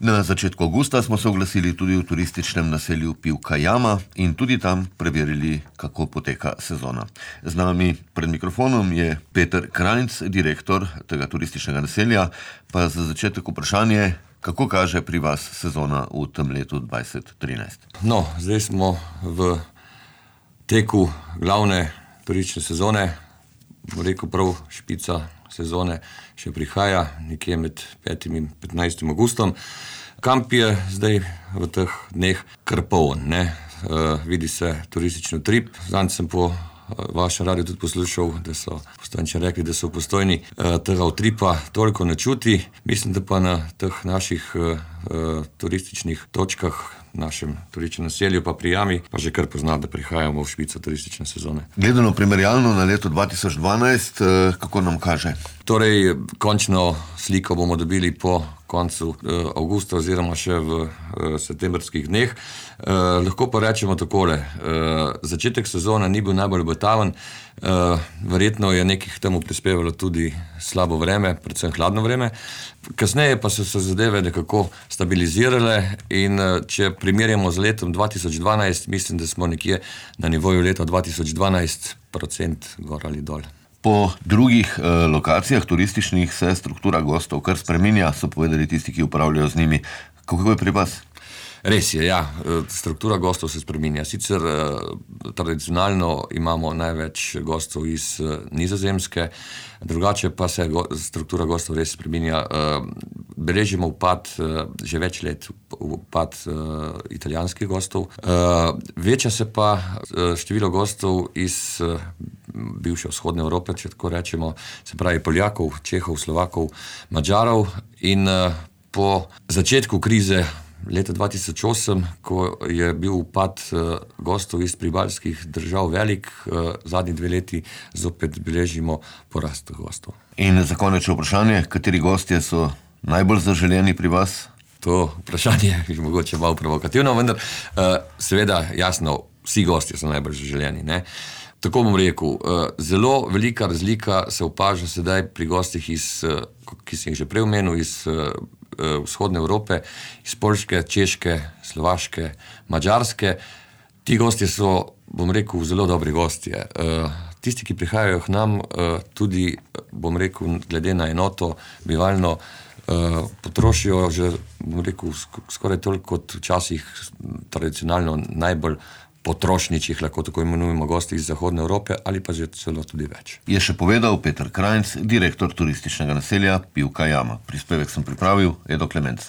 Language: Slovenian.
Na začetku avgusta smo se oglasili tudi v turističnem naselju Pivka jama in tudi tam preverili, kako poteka sezona. Z nami pred mikrofonom je Peter Krajnc, direktor tega turističnega naselja. Pa za začetek vprašanje, kako kaže pri vas sezona v tem letu 2013? No, zdaj smo v teku glavne turistične sezone. Rekel prav, špica sezone še prihaja, nekje med 5. in 15. augustom. Kamp je zdaj v teh dneh kar poln, ne. Vidi se turistični utrip. Zadnjič sem po vašem radiju tudi poslušal, da so Postojnčani rekli, da so v Postojni tega utripa toliko ne čuti. Mislim, da pa na teh naših turističnih točkah, našem turističnem naselju pa pri jami, pa že kar pozna, da prihajamo v špico turistične sezone. Gledano primerjalno na leto 2012, kako nam kaže? Torej, končno sliko bomo dobili po koncu avgusta oziroma še v septembrskih dneh. Lahko pa rečemo takole, začetek sezone ni bil najbolj obetaven, verjetno je nekih temu prispevalo tudi slabo vreme, predvsem hladno vreme. Kasneje pa so se zadeve nekako stabilizirale in če primerjamo z letom 2012, mislim, da smo nekje na nivoju leta 2012 % gor ali dol. Po drugih lokacijah turističnih se struktura gostov kar spreminja, so povedali tisti, ki upravljajo z njimi. Kako je pri vas? Res je, ja. Struktura gostov se spreminja. Sicer tradicionalno imamo največ gostov iz Nizozemske, drugače pa se struktura gostov res spreminja. Beležimo upad že več let, upad italijanskih gostov. Veča se pa število gostov iz bivše vzhodne Evrope, če tako rečemo, se pravi Poljakov, Čehov, Slovakov, Madžarov. In po začetku krize leta 2008, ko je bil upad gostov iz pribalskih držav velik, zadnji 2 leti zopet beležimo porast gostov. In za konec vprašanje, kateri gostje so najbolj zaželeni pri vas? To vprašanje je mogoče malo provokativno, vendar seveda jasno, vsi gostje so najbolj zaželeni, ne. Tako bom rekel, zelo velika razlika se opaža sedaj pri gostih ki sem jih že prej omenil, iz vzhodne Evrope, iz Poljske, Češke, Slovaške, Madžarske. Ti gostje so, bom rekel, zelo dobri gostje. Tisti, ki prihajajo k nam, tudi, bom rekel, glede na enoto bivalno, potrošijo že, bom rekel, skoraj toliko kot včasih tradicionalno najbolj potrošničih, lahko tako imenujemo, gosti iz zahodne Evrope ali pa že celo tudi več. Je še povedal Peter Krajnc, direktor turističnega naselja Pivka jama. Prispevek sem pripravil, Edo Klemenc.